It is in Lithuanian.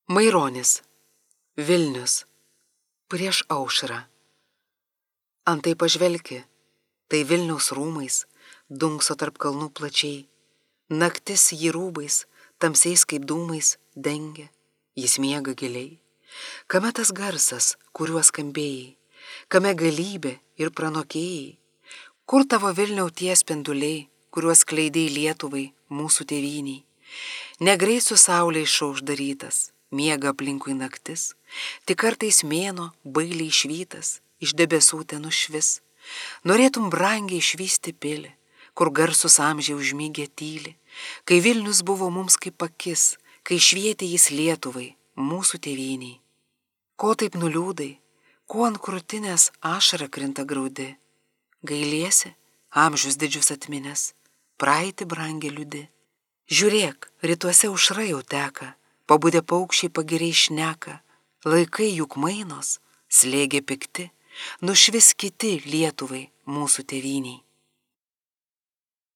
Maironis, Vilnius, prieš aušrą. Antai pažvelki, tai Vilniaus rūmais, dunkso tarp kalnų plačiai. Naktis jį rūbais, tamsiais kaip dūmais, dengia, jis miega giliai. Kame tas garsas, kuriuo skambėjai, kame galybė ir pranokėjai? Kur tavo Vilniau tie spinduliai, kuriuos kleidėjai Lietuvai, mūsų tėvyniai? Negreit su saulė išaušdarytas, miega aplinkui naktis, tik kartais mėnuo bailiai švytas, iš debesų ten nušvis. Norėtum brangiai išvysti pilį, kur garsus amžiai užmygė tyli, kai Vilnius buvo mums kaip akis, kai švietė jis Lietuvai, mūsų tėvyniai. Ko taip nuliūdai, ko ant krūtinės ašara krinta graudi? Gailiesi, amžius didžius atminęs, praeitį brangiai liūdi. Žiūrėk, rytuose aušra jau teka, pabudę paukščiai pagiriai šneka, laikai juk mainos, slėgė pikti, nušvis kiti Lietuvai, mūsų tėvyniai.